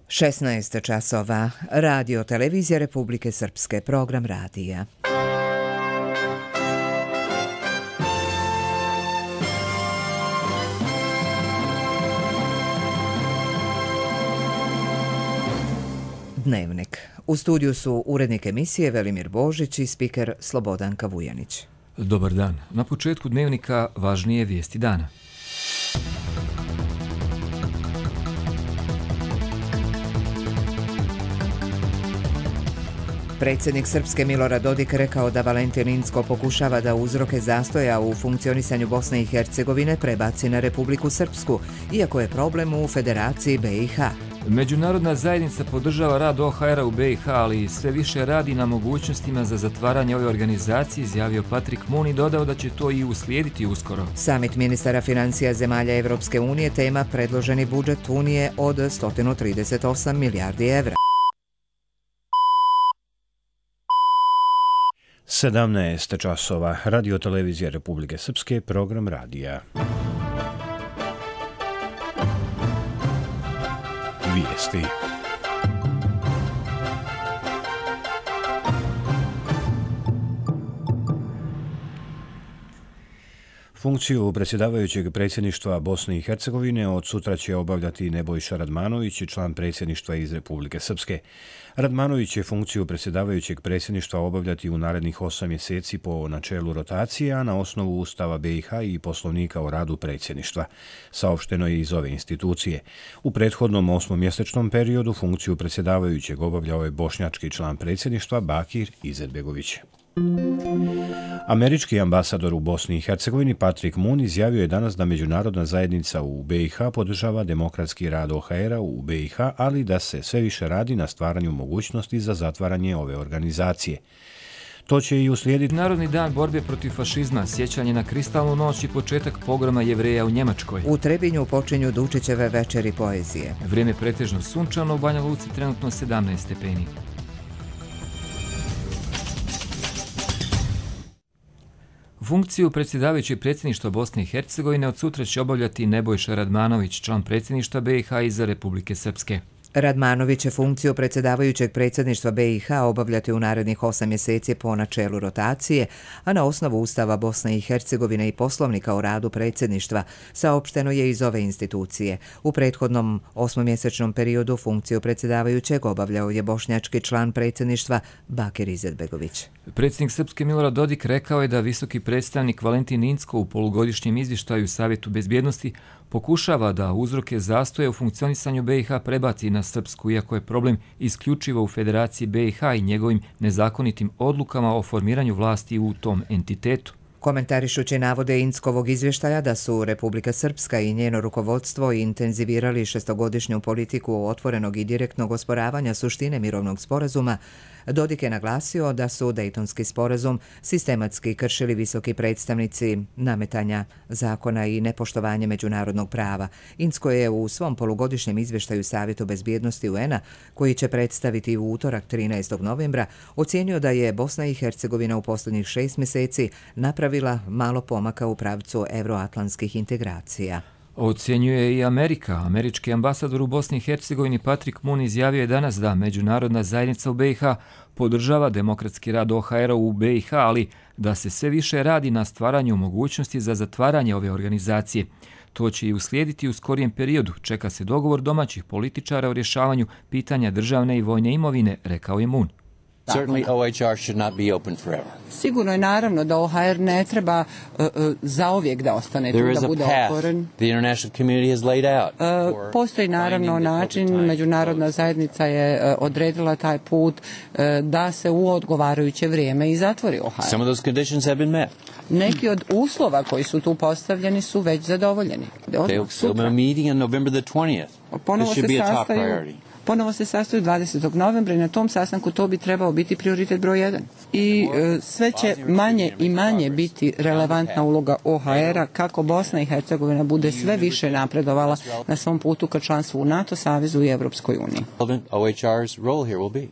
16 časova. Radio Televizija Republike Srpske. Program radija. Dnevnik. U studiju su urednik emisije Velimir Božić i spiker Slobodanka Vujanić. Dobar dan. Na početku dnevnika važnije vijesti dana. Predsjednik Srpske Milorad Dodik rekao da Valentin Incko pokušava da uzroke zastoja u funkcionisanju Bosne i Hercegovine prebaci na Republiku Srpsku, iako je problem u Federaciji BiH. Međunarodna zajednica podržava rad OHR-a u BiH, ali sve više radi na mogućnostima za zatvaranje ove organizacije, izjavio Patrick Moon i dodao da će to i uslijediti uskoro. Samit ministara financija zemalja Evropske unije tema predloženi budžet Unije od 138 milijardi evra. 17 časova. Radio Televizija Republike Srpske, program radija. Vijesti. Funkciju predsjedavajućeg predsjedništva Bosne i Hercegovine od sutra će obavljati Nebojša Radmanović, član predsjedništva iz Republike Srpske. Radmanović će funkciju predsjedavajućeg predsjedništva obavljati u narednih 8 mjeseci po načelu rotacije, a na osnovu Ustava BiH i Poslovnika o radu predsjedništva. Saopšteno je iz ove institucije. U prethodnom 8-mjesečnom periodu funkciju predsjedavajućeg obavljao je bošnjački član predsjedništva Bakir Izetbegović. Američki ambasador u Bosni i Hercegovini Patrick Moon izjavio je danas da međunarodna zajednica u BiH podržava demokratski rad OHR-a u BiH, ali da se sve više radi na stvaranju mogućnosti za zatvaranje ove organizacije. To će i uslijediti Narodni dan borbe protiv fašizma, sjećanje na kristalnu noć i početak pogroma Jevreja u Njemačkoj. U Trebinju počinju Dučićeve večeri poezije. Vrijeme pretežno sunčano, u Banja Luci trenutno 17 stepeni. Funkciju predsjedavajućeg predsjedništva Bosne i Hercegovine od sutra će obavljati Nebojša Radmanović, član predsjedništva BiH iz Republike Srpske. Radmanović će funkciju predsjedavajućeg predsjedništva BiH obavljati u narednih 8 mjeseci po načelu rotacije, a na osnovu Ustava Bosne i Hercegovine i Poslovnika o radu predsjedništva, saopšteno je iz ove institucije. U prethodnom 8-mjesečnom periodu funkciju predsjedavajućeg obavljao je bošnjački član predsjedništva Bakir Izetbegović. Predsjednik Srpske Milorad Dodik rekao je da visoki predstavnik Valentin Incko u polugodišnjem izvještaju Savjetu bezbjednosti pokušava da uzroke zastoja u funkcionisanju BiH prebaci na Srpsku, iako je problem isključivo u Federaciji BiH i njegovim nezakonitim odlukama o formiranju vlasti u tom entitetu. Komentarišući navode Inckovog izvještaja da su Republika Srpska i njeno rukovodstvo intenzivirali 6-godišnju politiku otvorenog i direktnog osporavanja suštine mirovnog sporazuma, Dodik je naglasio da su Dejtonski sporazum sistematski kršili visoki predstavnici nametanja zakona i nepoštovanje međunarodnog prava. Incko je u svom polugodišnjem izvještaju Savjetu bezbjednosti UN-a, koji će predstaviti u utorak 13. novembra, ocijenio da je Bosna i Hercegovina u posljednjih 6 mjeseci napravila malo pomaka u pravcu evroatlantskih integracija. Ocjenjuje i Amerika. Američki ambasador u Bosni i Hercegovini Patrick Moon izjavio je danas da međunarodna zajednica u BiH podržava demokratski rad OHR-a u BiH, ali da se sve više radi na stvaranju mogućnosti za zatvaranje ove organizacije. To će i uslijediti u skorijem periodu. Čeka se dogovor domaćih političara o rješavanju pitanja državne i vojne imovine, rekao je Moon. Certainly OHR should not be open forever. Sigurno je naravno da OHR ne treba zauvijek da ostane tu, da bude otvoren. The international community has laid out. Postoji naravno način, međunarodna zajednica je odredila taj put da se u odgovarajuće vrijeme i zatvori OHR. Some of those conditions have been met. Neki od uslova koji su tu postavljeni su već zadovoljeni. They'll be meeting on November the 20th. This should be a top priority. Ponovo se sastaju 20. novembra i na tom sastanku to bi trebao biti prioritet broj 1. I sve će manje i manje biti relevantna uloga OHR-a kako Bosna i Hercegovina bude sve više napredovala na svom putu ka članstvu u NATO savezu i Evropskoj uniji. OHR's role here will be.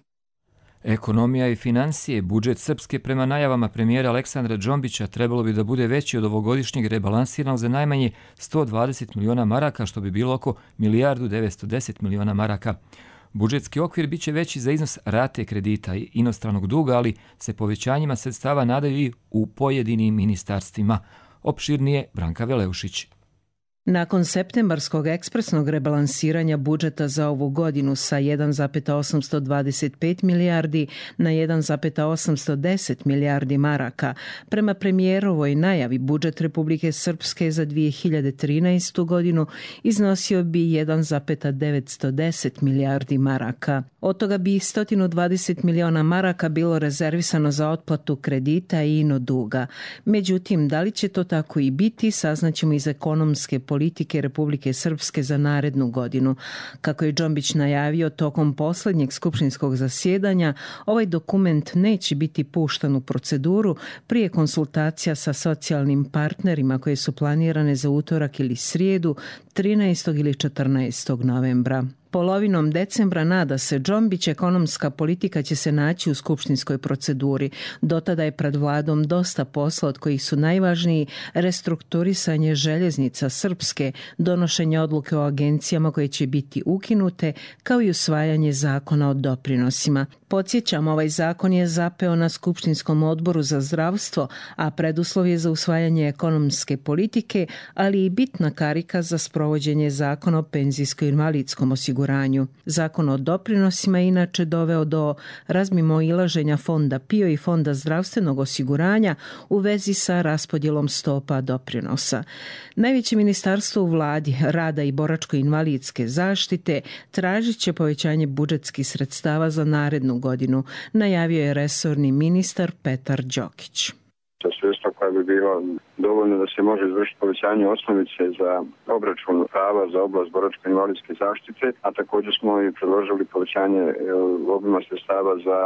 Ekonomija i financije, budžet Srpske prema najavama premijera Aleksandra Džombića trebalo bi da bude veći od ovogodišnjeg rebalansiranog za najmanje 120 miliona maraka, što bi bilo oko 1.910 miliona maraka. Budžetski okvir biće veći za iznos rate kredita i inostranog duga, ali se povećanjima sredstava nadaju i u pojedinim ministarstvima. Opširnije Branka Veleušić. Nakon septembarskog ekspresnog rebalansiranja budžeta za ovu godinu sa 1,825 milijardi na 1,810 milijardi maraka, prema premijerovoj najavi budžet Republike Srpske za 2013. godinu iznosio bi 1,910 milijardi maraka. Od toga bi 120 miliona maraka bilo rezervisano za otplatu kredita i ino duga. Međutim, da li će to tako i biti, saznaćemo iz ekonomske politike Republike Srpske za narednu godinu. Kako je Džombić najavio tokom posljednjeg skupštinskog zasjedanja, ovaj dokument neće biti puštan u proceduru prije konsultacija sa socijalnim partnerima koje su planirane za utorak ili srijedu 13. ili 14. novembra. Polovinom decembra, nada se Džombić, ekonomska politika će se naći u skupštinskoj proceduri. Do tada je pred vladom dosta posla, od kojih su najvažniji restrukturisanje željeznica Srpske, donošenje odluke o agencijama koje će biti ukinute, kao i usvajanje zakona o doprinosima. Podsjećam, ovaj zakon je zapeo na Skupštinskom odboru za zdravstvo, a preduslov je za usvajanje ekonomske politike, ali i bitna karika za sprovođenje zakona o penzijsko-invalidskom osiguranju. Zakon o doprinosima je inače doveo do razmimoilaženja Fonda PIO i Fonda zdravstvenog osiguranja u vezi sa raspodjelom stopa doprinosa. Najveće ministarstvo u vladi, rada i boračko-invalidske zaštite, tražit će povećanje budžetskih sredstava za narednu godinu, najavio je resorni ministar Petar Đokić. Sredstva koja bi bila dovoljno da se može izvršiti povećanje osnovice za obračun prava za oblast boračko-invalidske zaštite, a također smo i predložili povećanje obima sredstava za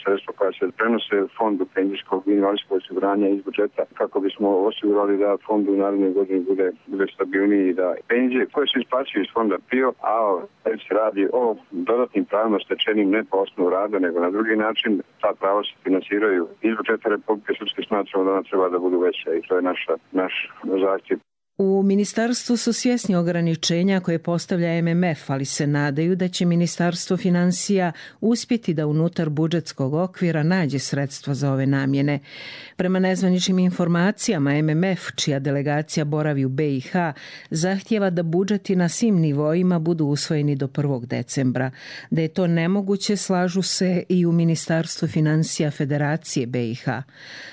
sredstva koja se prenose fondu penzijskog i invalidskog osiguranja iz budžeta, kako bismo osigurali da fond u narednoj godini bude stabilniji i da penzije koje se isplaćuju iz fonda PIO, a se radi o dodatnim pravima stečenim ne po osnovu rada, nego na drugi način, ta prava se finansiraju iz budžeta Republike Srpske. Smatramo da ona treba da budu veća i to je naš zahtjev. U ministarstvu su svjesni ograničenja koje postavlja MMF, ali se nadaju da će Ministarstvo financija uspjeti da unutar budžetskog okvira nađe sredstva za ove namjene. Prema nezvaničnim informacijama, MMF, čija delegacija boravi u BiH, zahtjeva da budžeti na svim nivoima budu usvojeni do 1. decembra. Da je to nemoguće, slažu se i u Ministarstvu financija Federacije BiH.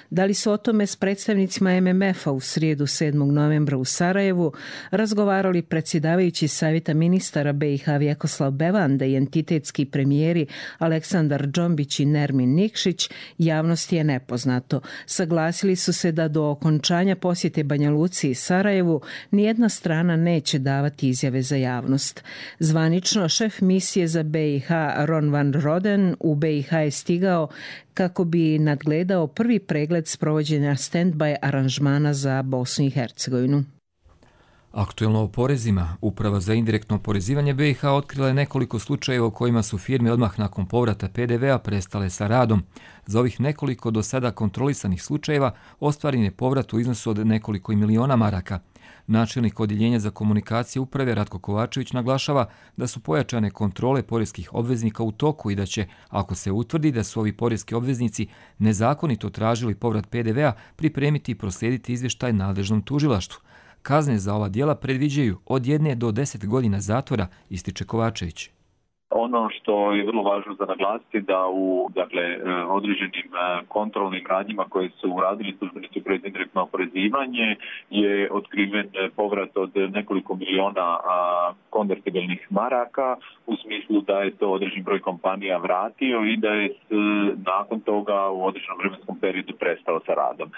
Da li su o tome s predstavnicima MMF-a u srijedu 7. novembra u Sarajevu razgovarali predsjedavajući Savjeta ministara BiH Vjekoslav Bevanda i entitetski premijeri Aleksandar Džombić i Nermin Nikšić, javnosti je nepoznato. Saglasili su se da do okončanja posjete Banja Luci i Sarajevu nijedna strana neće davati izjave za javnost. Zvanično, šef misije za BiH Ron van Roden u BiH je stigao kako bi nadgledao prvi pregled sprovođenja stand-by aranžmana za Bosnu i Hercegovinu. Aktuelno o porezima. Uprava za indirektno oporezivanje BiH otkrila je nekoliko slučajeva u kojima su firme odmah nakon povrata PDV-a prestale sa radom. Za ovih nekoliko do sada kontrolisanih slučajeva ostvaren je povrat u iznosu od nekoliko miliona maraka. Načelnik odjeljenja za komunikacije uprave Ratko Kovačević naglašava da su pojačane kontrole poreskih obveznika u toku i da će, ako se utvrdi da su ovi poreski obveznici nezakonito tražili povrat PDV-a, pripremiti i proslijediti izvještaj nadležnom tužilaštvu. Kazne za ova djela predviđaju od 1 do 10 godina zatvora, ističe Kovačević. Ono što je vrlo važno za naglasiti da u određenim kontrolnim radnjima koje su uradili službenici Uprave za indirektno oporezivanje je otkriven povrat od nekoliko miliona konvertibilnih maraka u smislu da je to određen broj kompanija vratio i da je nakon toga u određenom vremenskom periodu prestao sa radom.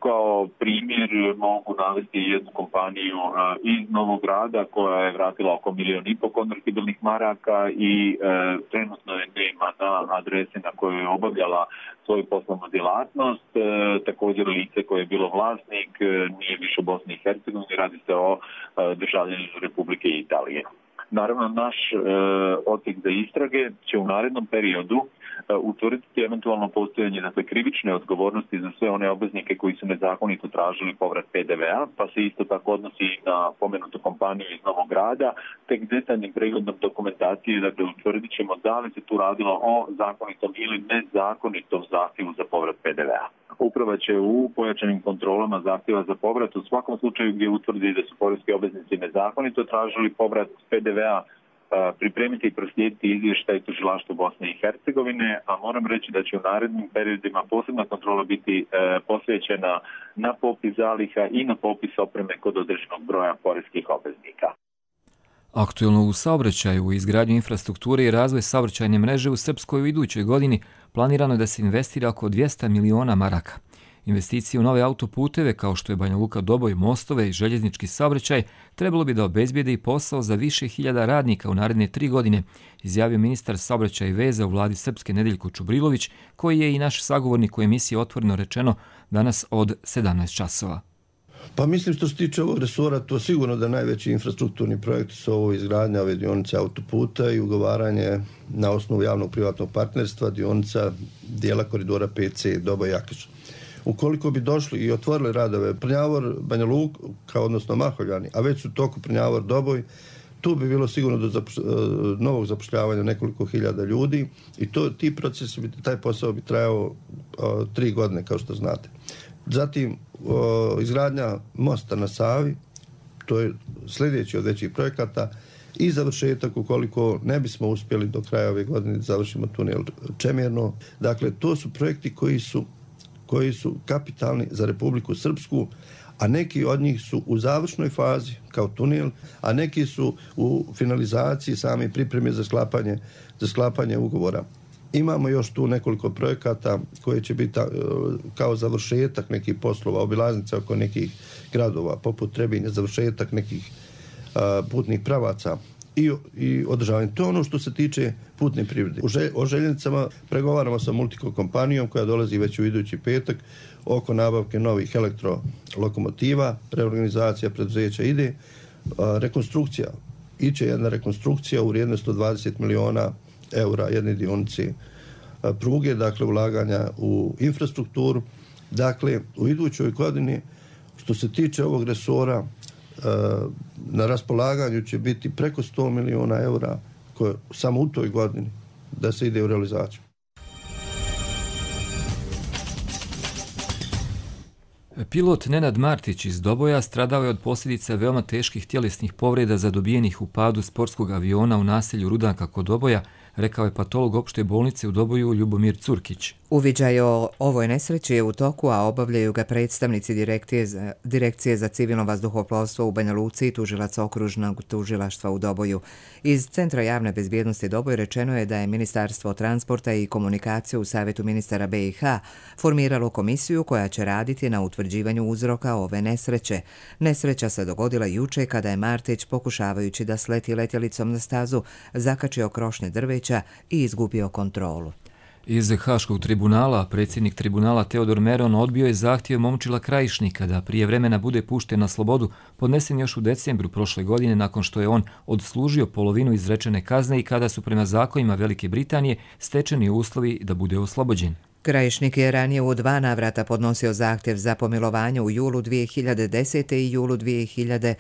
Kao primjer mogu navesti jednu kompaniju iz Novog Grada koja je vratila oko 1,5 miliona konvertibilnih maraka i trenutno je nema na adrese na kojoj je obavljala svoju poslovnu djelatnost. Također lice koje je bilo vlasnik nije više u Bosni i Hercegovini, radi se o državljaninu Republike Italije. Naravno, naš odsjek za istrage će u narednom periodu utvrditi eventualno postojanje krivične odgovornosti za sve one obveznike koji su nezakonito tražili povrat PDV-a, pa se isto tako odnosi na pomenutu kompaniju iz Novog Grada, tek detaljnim pregledom dokumentacije, utvrdit ćemo da li se tu radilo o zakonitom ili nezakonitom zahtjevu za povrat PDV-a. Uprava će u pojačanim kontrolama zahtjeva za povrat u svakom slučaju gdje utvrdi da su poreski obveznici nezakonito tražili povrat PDV-a pripremiti i proslijediti izvještaj tužilaštvu Bosne i Hercegovine, a moram reći da će u narednim periodima posebna kontrola biti posvećena na popis zaliha i na popis opreme kod određenog broja poreskih obveznika. Aktuelno u saobraćaju, u izgradnju infrastrukture i razvoj saobraćajne mreže u Srpskoj u idućoj godini planirano je da se investira oko 200 miliona maraka. Investicije u nove autoputeve, kao što je Banja Luka Doboj, mostove i željeznički saobraćaj, trebalo bi da obezbijede i posao za više hiljada radnika u naredne 3 godine, izjavio ministar saobraćaja i veza u vladi Srpske Nedeljko Čubrilović, koji je i naš sagovornik u emisiji Otvoreno rečeno danas od 17 časova. Pa mislim što se tiče ovog resora, to sigurno da najveći infrastrukturni projekti su ovo izgradnja ove dionice autoputa i ugovaranje na osnovu javnog privatnog partnerstva dionica dijela koridora 5C Doboj-Jakiš. Ukoliko bi došli i otvorili radove Prnjavor, Banja Luka, odnosno Mahovljani, a već su toku Prnjavor, Doboj, tu bi bilo sigurno do novog zapošljavanja nekoliko hiljada ljudi i ti procesi, taj posao bi trajao 3 godine, kao što znate. Zatim, izgradnja mosta na Savi, to je sljedeći od većih projekata, i završetak ukoliko ne bismo uspjeli do kraja ove godine da završimo tunel Čemerno. Dakle, to su projekti koji su kapitalni za Republiku Srpsku, a neki od njih su u završnoj fazi kao tunel, a neki su u finalizaciji same pripreme za sklapanje ugovora. Imamo još tu nekoliko projekata koji će biti kao završetak nekih poslova, obilaznica oko nekih gradova, poput Trebinja, završetak nekih putnih pravaca i održavanje. To je ono što se tiče putne privrede. O željeznicama pregovaramo sa Multico kompanijom koja dolazi već u idući petak oko nabavke novih elektrolokomotiva, reorganizacija preduzeća ide, rekonstrukcija. Iće jedna rekonstrukcija u vrijednosti 120 miliona eura jedne dionice pruge, dakle ulaganja u infrastrukturu. Dakle, u idućoj godini što se tiče ovog resora na raspolaganju će biti preko 100 miliona eura koje samo u toj godini da se ide u realizaciju. Pilot Nenad Martić iz Doboja stradao je od posljedica veoma teških tjelesnih povreda zadobijenih u padu sportskog aviona u naselju Rudanka kod Doboja, rekao je patolog opšte bolnice u Doboju Ljubomir Curkić. Uviđaj o ovoj nesreći je u toku, a obavljaju ga predstavnici Direkcije za civilno vazduhoplovstvo u Banja Luci i tužilac okružnog tužilaštva u Doboju. Iz Centra javne bezbjednosti Doboj rečeno je da je Ministarstvo transporta i komunikacije u Savjetu ministara BiH formiralo komisiju koja će raditi na utvrđivanju uzroka ove nesreće. Nesreća se dogodila juče kada je Martić, pokušavajući da sleti letjelicom na stazu, zakačio krošnje drveća i izgubio kontrolu. Iz Haškog tribunala predsjednik tribunala Teodor Meron odbio je zahtjev Momčila Krajišnika da prije vremena bude pušten na slobodu, podnesen još u decembru prošle godine nakon što je on odslužio polovinu izrečene kazne i kada su prema zakonima Velike Britanije stečeni uslovi da bude oslobođen. Krajišnik je ranije u 2 navrata podnosio zahtjev za pomilovanje u julu 2010. i julu 2010.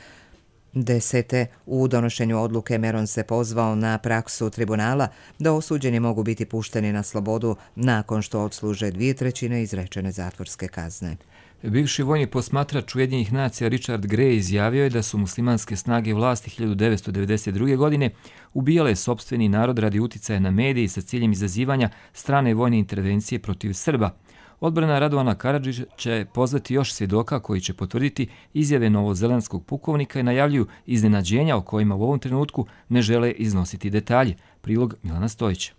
U donošenju odluke Meron se pozvao na praksu tribunala da osuđeni mogu biti pušteni na slobodu nakon što odsluže 2/3 izrečene zatvorske kazne. Bivši vojni posmatrač Ujedinjenih nacija Richard Gray izjavio je da su muslimanske snage vlasti 1992. godine ubijale sopstveni narod radi uticaja na mediji sa ciljem izazivanja strane vojne intervencije protiv Srba. Odbrana Radovana Karadžića će pozvati još svjedoka koji će potvrditi izjave novozelandskog pukovnika i najavljuju iznenađenja o kojima u ovom trenutku ne žele iznositi detalje. Prilog Milana Stojića.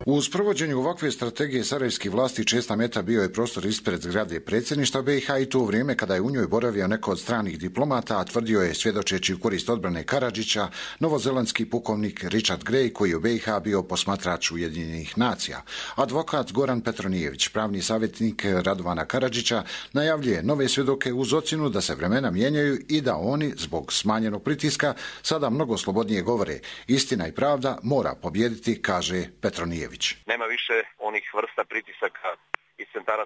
U sprovođenju ovakve strategije sarajevskih vlasti česta meta bio je prostor ispred zgrade predsjedništva BiH i to u vrijeme kada je u njoj boravio neko od stranih diplomata, a tvrdio je, svjedočeći u korist odbrane Karadžića, novozelandski pukovnik Richard Gray, koji je u BiH bio posmatrač Ujedinjenih nacija. Advokat Goran Petronijević, pravni savjetnik Radovana Karadžića, najavljuje nove svjedoke uz ocjenu da se vremena mijenjaju i da oni, zbog smanjenog pritiska, sada mnogo slobodnije govore. Istina i pravda mora pobijediti, kaže Petronijević. Radmanović. Nema više onih vrsta pritisaka iz centara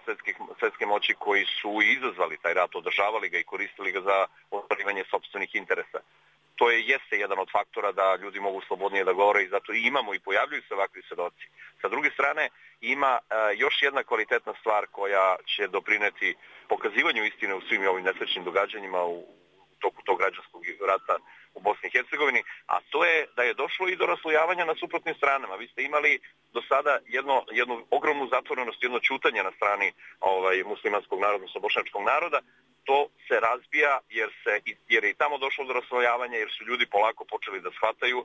svjetske moći koji su izazvali taj rat, održavali ga i koristili ga za ostvarivanje sopstvenih interesa. To jeste jedan od faktora da ljudi mogu slobodnije da govore i zato i imamo i pojavljuju se ovakvi svedoci. Sa druge strane, ima još jedna kvalitetna stvar koja će doprineti pokazivanju istine u svim ovim nesrećnim događanjima u toku tog građanskog rata u Bosni i Hercegovini, a to je da je došlo i do raslojavanja na suprotnim stranama. Vi ste imali do sada jednu ogromnu zatvorenost, jedno ćutanje na strani muslimanskog naroda, odnosno bošnjačkog naroda. To se razbija jer je i tamo došlo do raslojavanja, jer su ljudi polako počeli da shvataju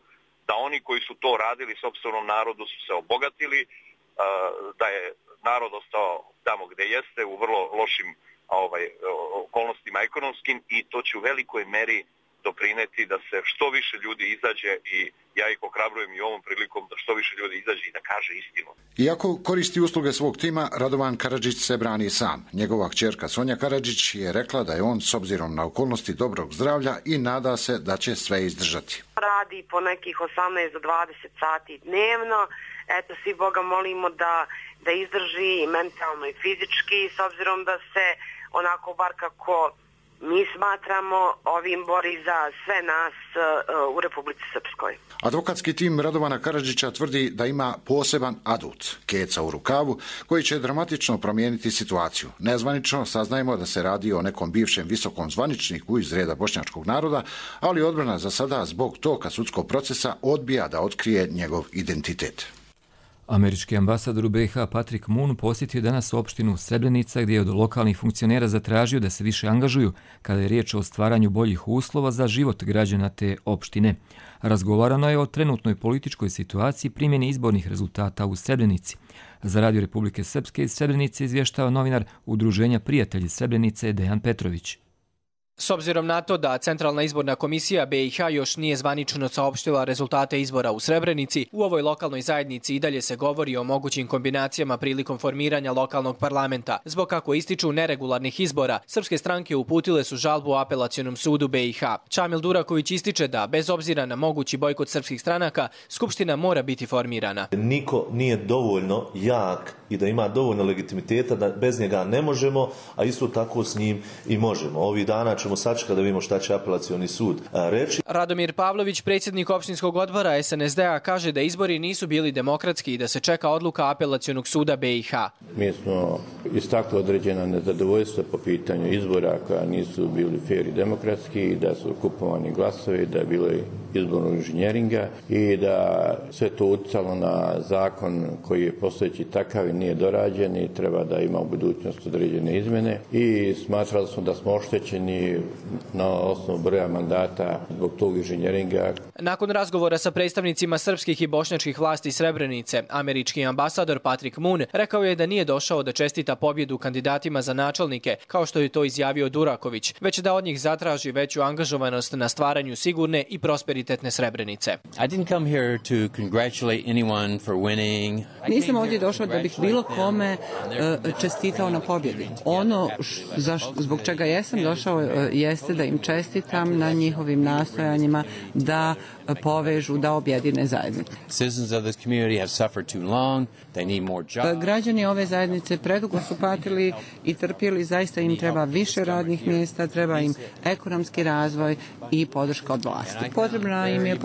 da oni koji su to radili sopstvenom narodu su se obogatili, da je narod ostao tamo gde jeste u vrlo lošim okolnostima ekonomskim i to će u velikoj meri doprineti da se što više ljudi izađe i ja ih ohrabrujem i ovom prilikom da što više ljudi izađe i da kaže istinu. Iako koristi usluge svog tima, Radovan Karadžić se brani sam. Njegova kćerka Sonja Karadžić je rekla da je on s obzirom na okolnosti dobrog zdravlja i nada se da će sve izdržati. Radi po nekih 18 do 20 sati dnevno. Eto, svi Boga molimo da izdrži i mentalno i fizički, s obzirom da se onako bar kako mi smatramo ovim bori za sve nas u Republici Srpskoj. Advokatski tim Radovana Karadžića tvrdi da ima poseban adut, keca u rukavu, koji će dramatično promijeniti situaciju. Nezvanično saznajemo da se radi o nekom bivšem visokom zvaničniku iz reda bošnjačkog naroda, ali odbrana za sada zbog toga sudskog procesa odbija da otkrije njegov identitet. Američki ambasador u BiH Patrick Moon posjetio danas opštinu Srebrenica gdje je od lokalnih funkcionera zatražio da se više angažuju kada je riječ o stvaranju boljih uslova za život građana te opštine. Razgovarano je o trenutnoj političkoj situaciji primjeni izbornih rezultata u Srebrenici. Za Radio Republike Srpske iz Srebrenice izvještava novinar Udruženja Prijatelji Srebrenice Dejan Petrović. S obzirom na to da Centralna izborna komisija BiH još nije zvanično saopštila rezultate izbora u Srebrenici, u ovoj lokalnoj zajednici i dalje se govori o mogućim kombinacijama prilikom formiranja lokalnog parlamenta. Zbog kako ističu neregularnih izbora, srpske stranke uputile su žalbu u Apelacionom sudu BiH. Čamil Duraković ističe da, bez obzira na mogući bojkot srpskih stranaka, Skupština mora biti formirana. Niko nije dovoljno jak i da ima dovoljno legitimiteta da bez njega ne možemo, a isto tako s njim i možemo. Ovih dana ćemo sačekati da vidimo šta će Apelacioni sud reći. Radomir Pavlović, predsjednik opštinskog odbora SNSD-a, kaže da izbori nisu bili demokratski i da se čeka odluka Apelacionog suda BiH. Mi smo istakli određena nezadovoljstva po pitanju izbora koja nisu bili fer i demokratski i da su kupovani glasovi, da je bilo izbornog inženjeringa i da sve to utjecalo na zakon koji je postojeći takav i nije dorađen i treba da ima u budućnosti određene izmjene i smatrali smo da smo oštećeni na osnovu broja mandata zbog tog inženjeringa. Nakon razgovora sa predstavnicima srpskih i bošnjačkih vlasti Srebrenice, američki ambasador Patrick Moon rekao je da nije došao da čestita pobjedu kandidatima za načelnike, kao što je to izjavio Duraković, već da od njih zatraži veću angažovanost na stvaranju sigurne i prosperitetne Srebrenice. Nisam ovdje došao da bih bilo kome čestitao na pobjedi. Ono zbog čega jesam došao jeste da im čestitam na njihovim nastojanjima da povežu, da objedine zajednicu. Građani ove zajednice predugo su patili i trpjeli, zaista im treba više radnih mjesta, treba im ekonomski razvoj i podrška od vlasti. Potrebna im je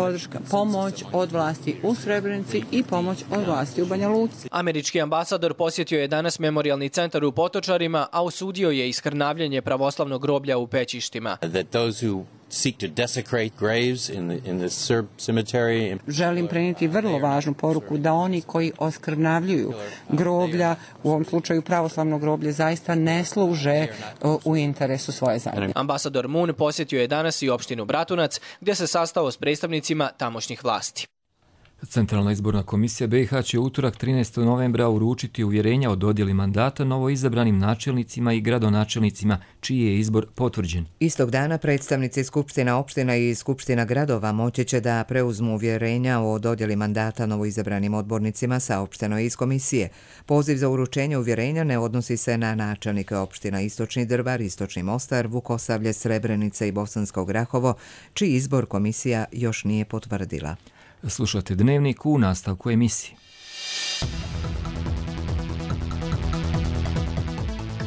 pomoć od vlasti u Srebrenici i pomoć od vlasti u Banja Luci. Američki ambasador posjetio je danas memorijalni centar u Potočarima, a osudio je iskrnavljanje pravoslavnog groblja u Pećištima. Želim prenijeti vrlo važnu poruku da oni koji oskrnavljuju groblja, u ovom slučaju pravoslavno groblje, zaista ne služe u interesu svoje zajednice. Ambasador Moon posjetio je danas i opštinu Bratunac, gdje se sastao s predstavnicima tamošnjih vlasti. Centralna izborna komisija BiH će utorak 13. novembra uručiti uvjerenja o dodjeli mandata novoizabranim načelnicima i gradonačelnicima, čiji je izbor potvrđen. Istog dana predstavnici Skupština opština i Skupština gradova moći će da preuzmu uvjerenja o dodjeli mandata novoizabranim odbornicima saopšteno iz komisije. Poziv za uručenje uvjerenja ne odnosi se na načelnike opština Istočni Drvar, Istočni Mostar, Vukosavlje, Srebrenica i Bosansko Grahovo, čiji izbor komisija još nije potvrdila. Slušate Dnevnik u nastavku emisije.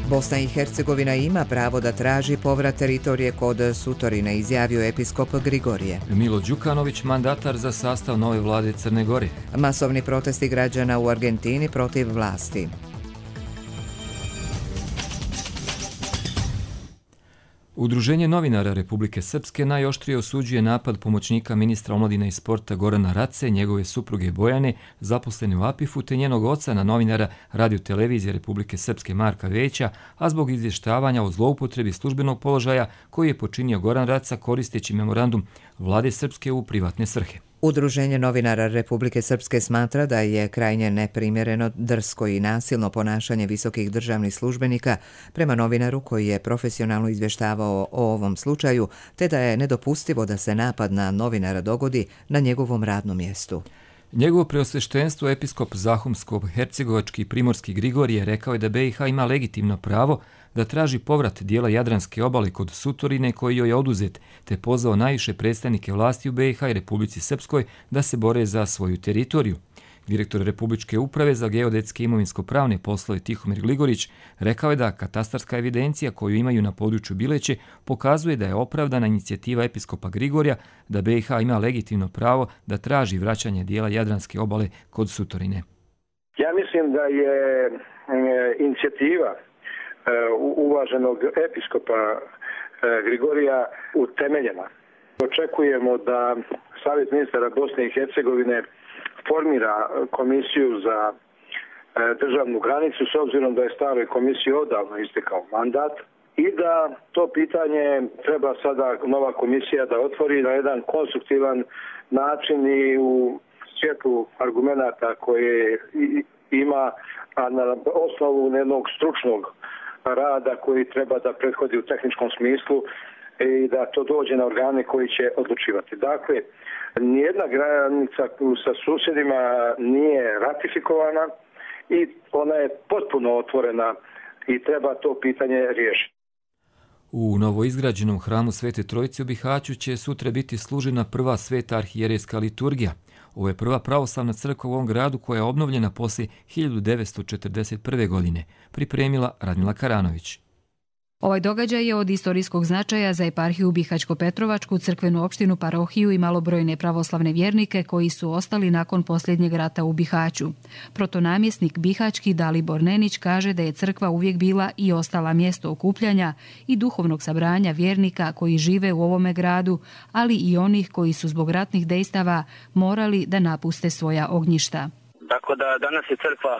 Bosna i Hercegovina ima pravo da traži povrat teritorije kod Sutorine, izjavio episkop Grigorije. Milo Đukanović, mandatar za sastav nove vlade Crne Gore. Masovni protesti građana u Argentini protiv vlasti. Udruženje novinara Republike Srpske najoštrije osuđuje napad pomoćnika ministra omladine i sporta Gorana Race, njegove supruge Bojane, zaposlene u APIF-u, te njenog oca na novinara Radio-televizije Republike Srpske Marka Veća, a zbog izvještavanja o zloupotrebi službenog položaja koji je počinio Goran Raca koristeći memorandum vlade Srpske u privatne svrhe. Udruženje novinara Republike Srpske smatra da je krajnje neprimjereno, drsko i nasilno ponašanje visokih državnih službenika prema novinaru koji je profesionalno izvještavao o ovom slučaju, te da je nedopustivo da se napad na novinara dogodi na njegovom radnom mjestu. Njegovo preosveštenstvo episkop Zahumsko-hercegovački Primorski Grigorije rekao je da BiH ima legitimno pravo da traži povrat dijela Jadranske obale kod Sutorine koji joj je oduzet, te pozvao najviše predstavnike vlasti u BiH i Republici Srpskoj da se bore za svoju teritoriju. Direktor Republičke uprave za geodetske imovinsko-pravne poslove Tihomir Gligorić rekao je da katastarska evidencija koju imaju na području Bileće pokazuje da je opravdana inicijativa episkopa Grigorija da BiH ima legitimno pravo da traži vraćanje dijela Jadranske obale kod Sutorine. Ja mislim da je inicijativa uvaženog episkopa Grigorija utemeljena. Očekujemo da Savjet ministara Bosne i Hercegovine formira komisiju za državnu granicu s obzirom da je staroj komisiji odavno istekao mandat i da to pitanje treba sada nova komisija da otvori na jedan konstruktivan način i u svjetlu argumenata koje ima, a na osnovu jednog stručnog rada koji treba da prethodi u tehničkom smislu i da to dođe na organe koji će odlučivati. Dakle, nijedna granica sa susjedima nije ratifikovana i ona je potpuno otvorena i treba to pitanje riješiti. U novoizgrađenom hramu Svete Trojice u Bihaću će sutra biti služena prva sveta arhijerejska liturgija. Ovo je prva pravoslavna crkva u ovom gradu koja je obnovljena poslije 1941. godine, pripremila Radmila Karanović. Ovaj događaj je od istorijskog značaja za eparhiju Bihaćko-Petrovačku, crkvenu opštinu, parohiju i malobrojne pravoslavne vjernike koji su ostali nakon posljednjeg rata u Bihaću. Protonamjesnik bihaćki Dalibor Nenić kaže da je crkva uvijek bila i ostala mjesto okupljanja i duhovnog sabranja vjernika koji žive u ovome gradu, ali i onih koji su zbog ratnih dejstava morali da napuste svoja ognjišta. Tako da danas je crkva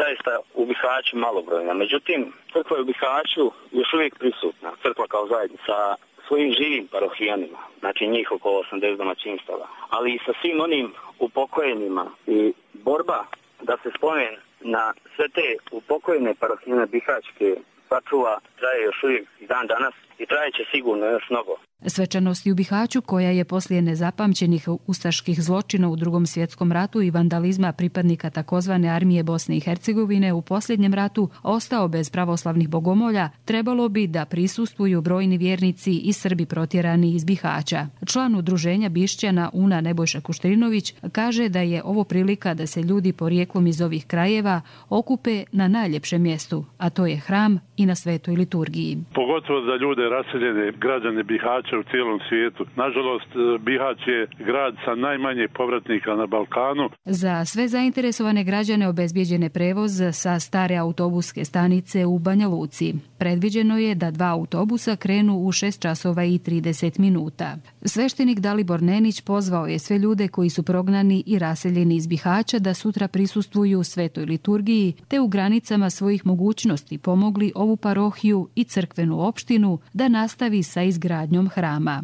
zaista u Bihaću malobrojna. Međutim, crkva je u Bihaću još uvijek prisutna. Crkva kao zajednica sa svojim živim parohijanima, znači njih oko 80 domaćinstava, ali i sa svim onim upokojenima i borba da se spomen na sve te upokojene parohijane bihaćke sačuva traje još uvijek dan danas i trajeće sigurno još mnogo. Svečanosti u Bihaću, koja je poslije nezapamćenih ustaških zločina u Drugom svjetskom ratu i vandalizma pripadnika takozvane armije Bosne i Hercegovine u posljednjem ratu ostao bez pravoslavnih bogomolja, trebalo bi da prisustvuju brojni vjernici i Srbi protjerani iz Bihaća. Član udruženja Bišćana Una Nebojša Kuštrinović kaže da je ovo prilika da se ljudi porijeklom iz ovih krajeva okupe na najljepšem mjestu, a to je hram i na svetoj liturgiji. Pogotovo za ljude raseljene građane Bihaća u cijelom svijetu. Nažalost, Bihać je grad sa najmanje povratnika na Balkanu. Za sve zainteresovane građane obezbijeđen je prevoz sa stare autobuske stanice u Banja Luci. Predviđeno je da 2 autobusa krenu u 6 časova i 30 minuta. Sveštenik Dalibor Nenić pozvao je sve ljude koji su prognani i raseljeni iz Bihaća da sutra prisustvuju svetoj liturgiji, te u granicama svojih mogućnosti pomogli ovu parohiju i crkvenu opštinu da nastavi sa izgradnjom hrama.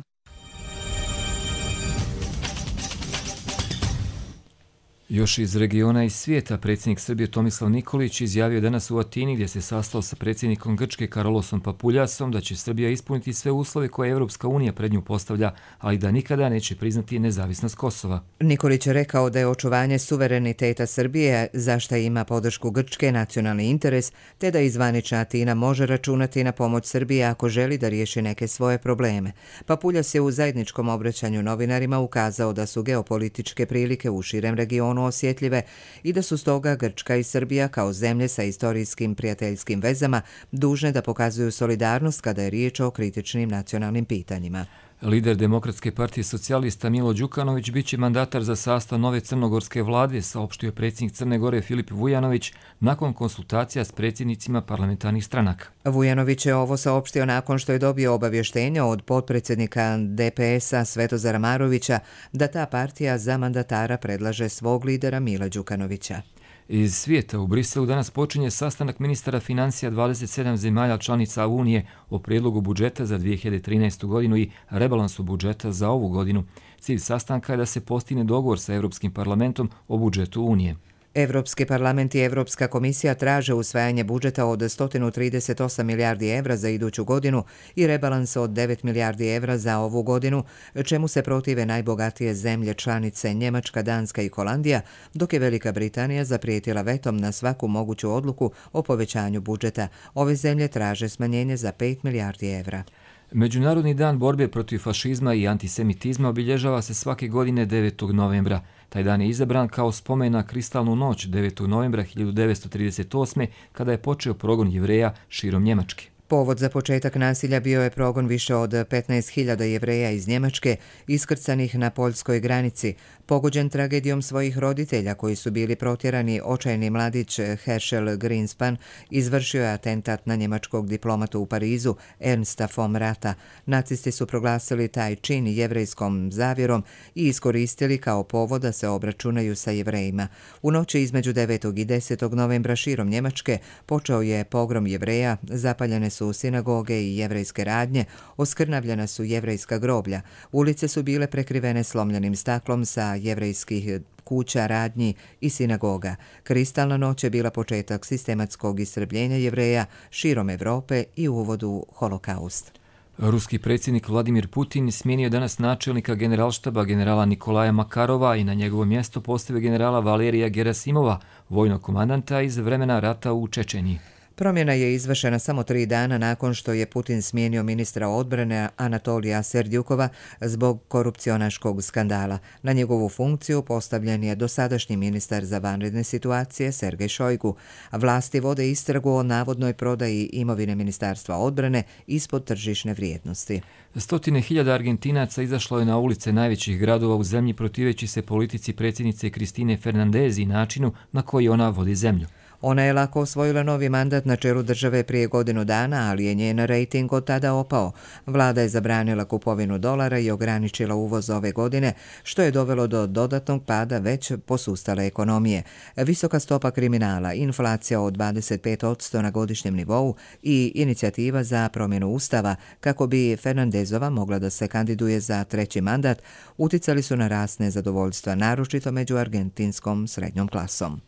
Još iz regiona i svijeta predsjednik Srbije Tomislav Nikolić izjavio danas u Atini gdje se sastao sa predsjednikom Grčke Karolosom Papuljasom da će Srbija ispuniti sve uslove koje Evropska unija pred nju postavlja, ali da nikada neće priznati nezavisnost Kosova. Nikolić je rekao da je očuvanje suvereniteta Srbije, za šta ima podršku Grčke, nacionalni interes, te da izvanična Atina može računati na pomoć Srbije ako želi da riješi neke svoje probleme. Papuljas je u zajedničkom obraćanju novinarima ukazao da su geopolitičke prilike u širem regionu regionalno osjetljive i da su stoga Grčka i Srbija kao zemlje sa istorijskim prijateljskim vezama dužne da pokazuju solidarnost kada je riječ o kritičnim nacionalnim pitanjima. Lider Demokratske partije socijalista Milo Đukanović biće mandatar za sastav nove crnogorske vlade, saopštio predsjednik Crne Gore Filip Vujanović nakon konsultacija s predsjednicima parlamentarnih stranaka. Vujanović je ovo saopštio nakon što je dobio obavještenje od potpredsjednika DPS-a Svetozara Marovića da ta partija za mandatara predlaže svog lidera Mila Đukanovića. Iz svijeta u Briselu danas počinje sastanak ministara financija 27 zemalja članica Unije o prijedlogu budžeta za 2013. godinu i rebalansu budžeta za ovu godinu. Cilj sastanka je da se postigne dogovor sa Europskim parlamentom o budžetu Unije. Evropski parlament i Evropska komisija traže usvajanje budžeta od 138 milijardi evra za iduću godinu i rebalans od 9 milijardi evra za ovu godinu, čemu se protive najbogatije zemlje članice Njemačka, Danska i Holandija, dok je Velika Britanija zaprijetila vetom na svaku moguću odluku o povećanju budžeta. Ove zemlje traže smanjenje za 5 milijardi evra. Međunarodni dan borbe protiv fašizma i antisemitizma obilježava se svake godine 9. novembra. Taj dan je izabran kao spomen na kristalnu noć 9. novembra 1938. kada je počeo progon Jevreja širom Njemačke. Povod za početak nasilja bio je progon više od 15.000 Jevreja iz Njemačke iskrcanih na poljskoj granici. Pogođen tragedijom svojih roditelja koji su bili protjerani, očajni mladić Herschel Greenspan izvršio je atentat na njemačkog diplomatu u Parizu Ernsta von Rata. Nacisti su proglasili taj čin jevrejskom zavjerom i iskoristili kao povod da se obračunaju sa Jevrejima. U noći između 9. i 10. novembra širom Njemačke počeo je pogrom Jevreja, zapaljene su sinagoge i jevrejske radnje, oskrnavljena su jevrejska groblja. Ulice su bile prekrivene slomljenim staklom sa jevrejskih kuća, radnji i sinagoga. Kristalna noć je bila početak sistematskog istrebljenja Jevreja širom Evrope i uvod u holokaust. Ruski predsjednik Vladimir Putin smijenio danas načelnika generalštaba generala Nikolaja Makarova i na njegovo mjesto postavio generala Valerija Gerasimova, vojnog komandanta iz vremena rata u Čečeniji. Promjena je izvršena samo 3 dana nakon što je Putin smijenio ministra odbrane Anatolija Serdjukova zbog korupcionaškog skandala. Na njegovu funkciju postavljen je dosadašnji ministar za vanredne situacije Sergej Šojgu. Vlasti vode istragu o navodnoj prodaji imovine Ministarstva odbrane ispod tržišne vrijednosti. Stotine hiljada Argentinaca izašlo je na ulice najvećih gradova u zemlji protiveći se politici predsjednice Kristine Fernandez i načinu na koji ona vodi zemlju. Ona je lako osvojila novi mandat na čelu države prije godinu dana, ali je njen rejting od tada opao. Vlada je zabranila kupovinu dolara i ograničila uvoz ove godine, što je dovelo do dodatnog pada već posustale ekonomije. Visoka stopa kriminala, inflacija od 25% na godišnjem nivou i inicijativa za promjenu ustava kako bi Fernandezova mogla da se kandiduje za 3. mandat uticali su na rast nezadovoljstva, naročito među argentinskom srednjom klasom.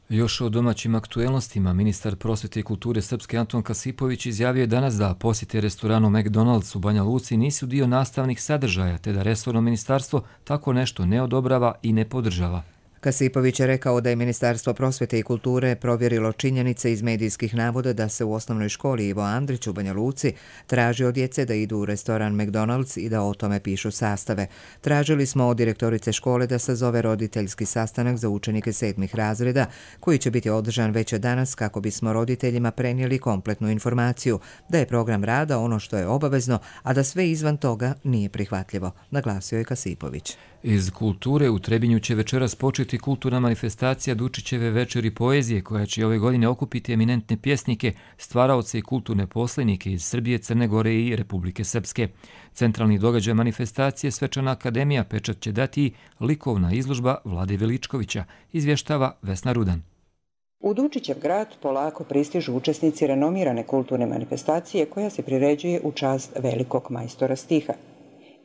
Još o domaćim aktuelnostima, ministar prosvjete i kulture Srpske Anton Kasipović izjavio je danas da posjete restoranu McDonald's u Banja Luci nisu dio nastavnih sadržaja, te da resorno ministarstvo tako nešto ne odobrava i ne podržava. Kasipović je rekao da je Ministarstvo prosvjete i kulture provjerilo činjenice iz medijskih navoda da se u osnovnoj školi Ivo Andrić u Banja Luci traži od djece da idu u restoran McDonald's i da o tome pišu sastave. Tražili smo od direktorice škole da sazove roditeljski sastanak za učenike 7. razreda, koji će biti održan već danas kako bismo roditeljima prenijeli kompletnu informaciju, da je program rada ono što je obavezno, a da sve izvan toga nije prihvatljivo, naglasio je Kasipović. Iz kulture u Trebinju će večeras početi kulturna manifestacija Dučićeve večeri poezije koja će ove godine okupiti eminentne pjesnike, stvaraoce i kulturne poslenike iz Srbije, Crne Gore i Republike Srpske. Centralni događaj manifestacije Svečana akademija pečat će dati likovna izložba Vlade Veličkovića, izvještava Vesna Rudan. U Dučićev grad polako pristižu učesnici renomirane kulturne manifestacije koja se priređuje u čast velikog majstora stiha.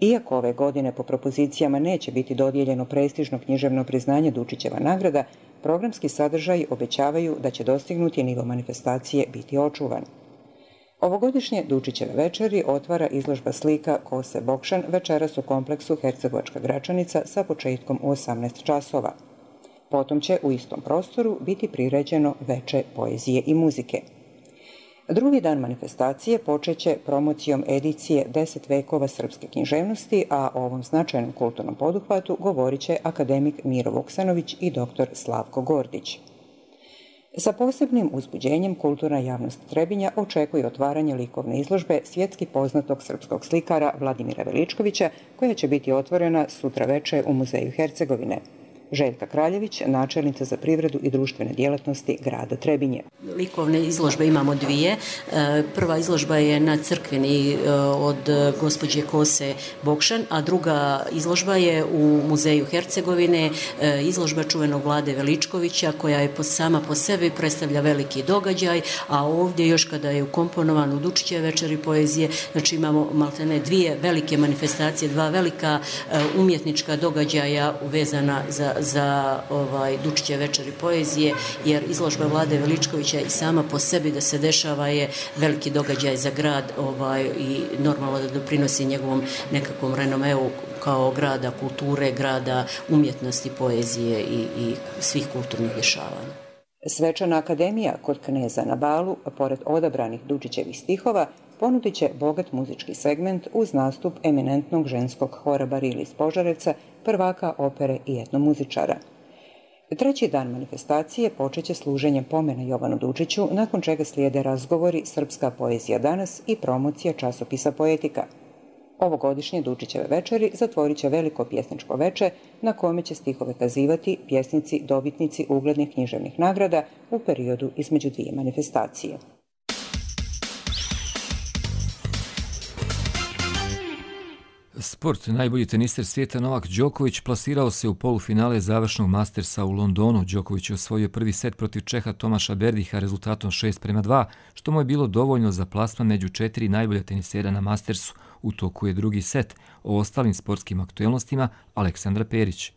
Iako ove godine po propozicijama neće biti dodijeljeno prestižno književno priznanje Dučićeva nagrada, programski sadržaj obećavaju da će dostignuti nivo manifestacije biti očuvan. Ovogodišnje Dučićeve večeri otvara izložba slika Kose Bokšan večeras u kompleksu Hercegovačka Gračanica sa početkom u 18 časova. Potom će u istom prostoru biti priređeno veče poezije i muzike. Drugi dan manifestacije počeće promocijom edicije 10 vekova srpske književnosti, a o ovom značajnom kulturnom poduhvatu govorit će akademik Miro Vuksanović i dr. Slavko Gordić. Sa posebnim uzbuđenjem kulturna javnost Trebinja očekuje otvaranje likovne izložbe svjetski poznatog srpskog slikara Vladimira Veličkovića, koja će biti otvorena sutra veče u Muzeju Hercegovine. Željka Kraljević, načelnica za privredu i društvene djelatnosti grada Trebinje. Likovne izložbe imamo dvije. Prva izložba je na Crkveni od gospođe Kose Bokšan, a druga izložba je u Muzeju Hercegovine, izložba čuvenog Vlade Veličkovića, koja je sama po sebi predstavlja veliki događaj, a ovdje još kada je ukomponovan u Dučićeve večeri poezije, znači imamo maltene dvije velike manifestacije, dva velika umjetnička događaja vezana za Dučićeve večeri poezije, jer izložba Vlade Veličkovića i sama po sebi da se dešava je veliki događaj za grad i normalno da doprinosi njegovom nekakvom renomeu kao grada kulture, grada umjetnosti, poezije i svih kulturnih dešavanja. Svečana akademija kod kneza na Balu, pored odabranih Dučićevih stihova, ponudit će bogat muzički segment uz nastup eminentnog ženskog hora Barili iz Požarevca, prvaka opere i etnomuzičara. Treći dan manifestacije počeće služenjem pomena Jovanu Dučiću, nakon čega slijede razgovori Srpska poezija danas i promocija časopisa Poetika. Ovogodišnje Dučićeve večeri zatvorit će veliko pjesničko veče na kome će stihove kazivati pjesnici dobitnici uglednih književnih nagrada u periodu između dvije manifestacije. Sport. Najbolji teniser svijeta Novak Đoković plasirao se u polufinale završnog Mastersa u Londonu. Đoković je osvojio prvi set protiv Čeha Tomaša Berdiha rezultatom 6:2, što mu je bilo dovoljno za plasman među 4 najbolja tenisera na Mastersu. U toku je drugi set. O ostalim sportskim aktuelnostima Aleksandra Perić.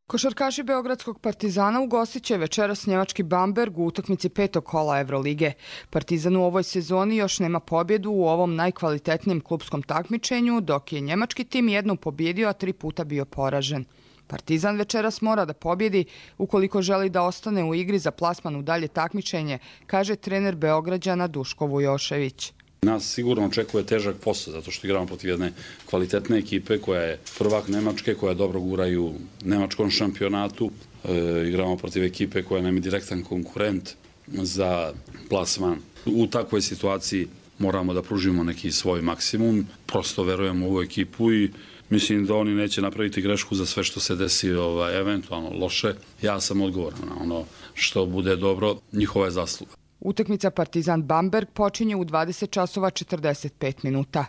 Košarkaši Beogradskog Partizana ugostit će večeras njemački Bamberg u utakmici 5. kola Evrolige. Partizan u ovoj sezoni još nema pobjedu u ovom najkvalitetnijem klupskom takmičenju, dok je njemački tim jednom pobjedio, a 3 puta bio poražen. Partizan večeras mora da pobjedi ukoliko želi da ostane u igri za plasman u dalje takmičenje, kaže trener Beograđana Duško Vujošević. Nas sigurno očekuje težak posao, zato što igramo protiv jedne kvalitetne ekipe koja je prvak Nemačke, koja dobro gura i u nemačkom šampionatu. Igramo protiv ekipe koja nam je direktan konkurent za plasman. U takvoj situaciji moramo da pružimo neki svoj maksimum. Prosto verujemo u ovu ekipu i mislim da oni neće napraviti grešku za sve što se desi eventualno loše. Ja sam odgovoran na ono što bude dobro, njihova je zasluga. Utakmica Partizan Bamberg počinje u 20 časova 45 minuta.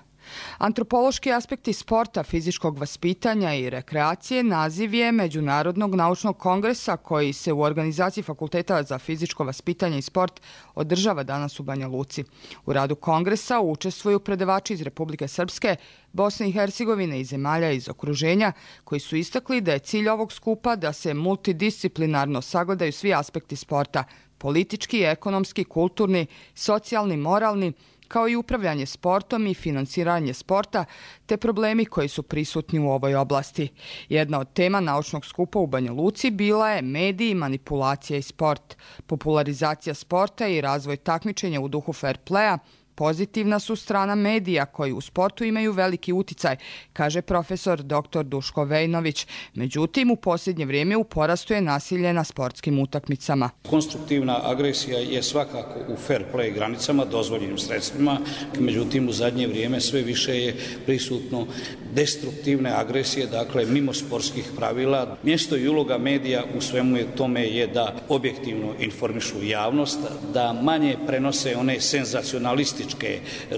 Antropološki aspekti sporta, fizičkog vaspitanja i rekreacije naziv je Međunarodnog naučnog kongresa koji se u organizaciji Fakulteta za fizičko vaspitanje i sport održava danas u Banja Luci. U radu kongresa učestvuju predavači iz Republike Srpske, Bosne i Hercegovine i zemalja iz okruženja, koji su istakli da je cilj ovog skupa da se multidisciplinarno sagledaju svi aspekti sporta, politički, ekonomski, kulturni, socijalni, moralni, kao i upravljanje sportom i financiranje sporta, te problemi koji su prisutni u ovoj oblasti. Jedna od tema naučnog skupa u Banja Luci bila je mediji, manipulacija i sport, popularizacija sporta i razvoj takmičenja u duhu fair playa. Pozitivna su strana medija koji u sportu imaju veliki uticaj, kaže profesor dr. Duško Vejnović. Međutim, u posljednje vrijeme u porastu je nasilje na sportskim utakmicama. Konstruktivna agresija je svakako u fair play granicama, dozvoljenim sredstvima. Međutim, u zadnje vrijeme sve više je prisutno destruktivne agresije, dakle mimo sportskih pravila. Mjesto i uloga medija u svemu tome je da objektivno informišu javnost, da manje prenose one senzacionalističke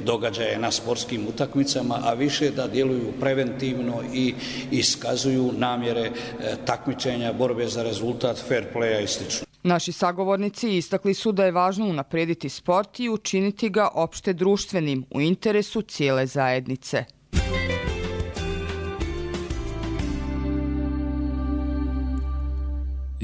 događaje na sportskim utakmicama, a više da djeluju preventivno i iskazuju namjere takmičenja, borbe za rezultat, fair playa i sl. Naši sagovornici istakli su da je važno unaprijediti sport i učiniti ga opšte društvenim u interesu cijele zajednice.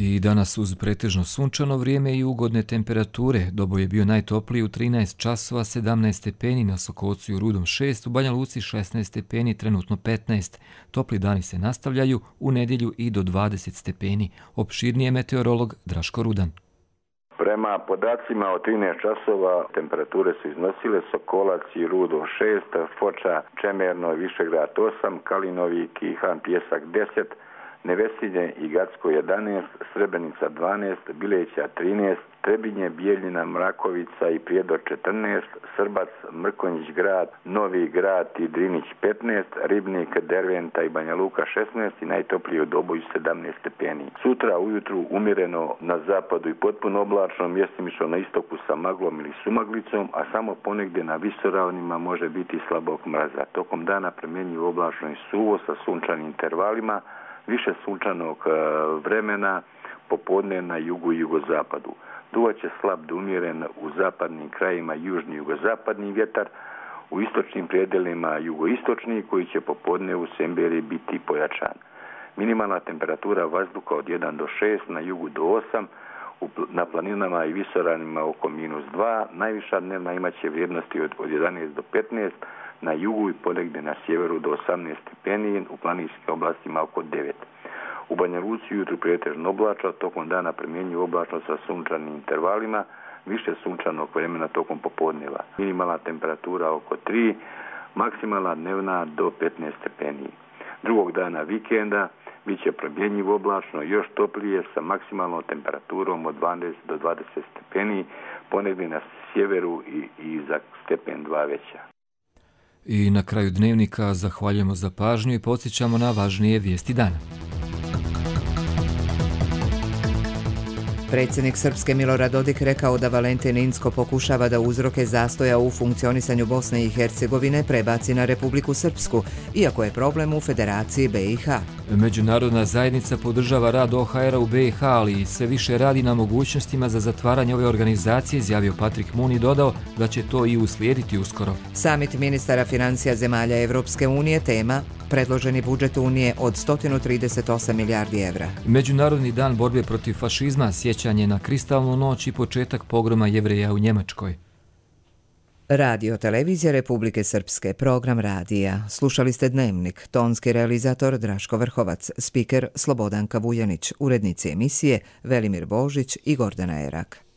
I danas uz pretežno sunčano vrijeme i ugodne temperature. Doboj je bio najtopliji u 13 časova 17 stepeni, na Sokocu i u Rudom 6, u Banja Luci 16 stepeni, trenutno 15. Topli dani se nastavljaju u nedjelju i do 20 stepeni. Opširnije meteorolog Draško Rudan. Prema podacima od 13 časova temperature su iznosile Sokolac i Rudo 6, Foča, Čemerno, Višegrad 8, Kalinovik i Han Pjesak 10, Nevesinje i Gacko 11, Srebrenica 12, Bileća 13, Trebinje, Bijeljina, Mrakovica i Prijedor 14, Srbac, Mrkonjić grad, Novi grad i Drinić 15, Ribnik, Derventa i Banja Luka 16 i najtoplije u Doboju 17 stepeni. Sutra ujutru umjereno na zapadu i potpuno oblačno, mjestimično na istoku sa maglom ili sumaglicom, a samo ponegdje na visoravnima može biti slabog mraza. Tokom dana primjenjuju oblačno i suvo sa sunčanim intervalima, više sunčanog vremena popodne na jugu i jugozapadu. Duvaće slab do umjeren u zapadnim krajima južni jugozapadni vjetar, u istočnim predjelima jugoistočni koji će popodne u Semberi biti pojačan. Minimalna temperatura vazduha od 1 do 6, na jugu do 8, na planinama i visoravnima oko -2, najviša dnevna imaće vrijednosti od 11 do 15, na jugu i ponegdje na sjeveru do 18 stepeni, u planinskim oblastima oko 9. U Banja Luci jutro pretežno oblačno, tokom dana primjenjuju oblačno sa sunčanim intervalima, više sunčanog vremena tokom popodneva. Minimalna temperatura oko 3, maksimalna dnevna do 15 stepeni. Drugog dana vikenda bit će promjenjivo oblačno, još toplije sa maksimalnom temperaturom od 12 do 20 stepeni, ponegdje na sjeveru i za stepen 2 veća. I na kraju dnevnika zahvaljujemo za pažnju i podsjećamo na važnije vijesti dana. Predsjednik Srpske Milorad Dodik rekao da Valentin Inzko pokušava da uzroke zastoja u funkcionisanju Bosne i Hercegovine prebaci na Republiku Srpsku, iako je problem u Federaciji BiH. Međunarodna zajednica podržava rad OHR-a u BiH, ali i sve više radi na mogućnostima za zatvaranje ove organizacije, izjavio Patrik Mun i dodao da će to i uslijediti uskoro. Samit ministara financija zemalja Evropske unije tema predloženi budžet Unije od 138 milijardi evra. Međunarodni dan borbe protiv fašizma, sjećanje na kristalnu noć i početak pogroma Jevreja u Njemačkoj. Radio Televizija Republike Srpske, program radija. Slušali ste Dnevnik, tonski realizator Draško Vrhovac, spiker Slobodanka Vujanić, urednici emisije Velimir Božić i Gordana Erak.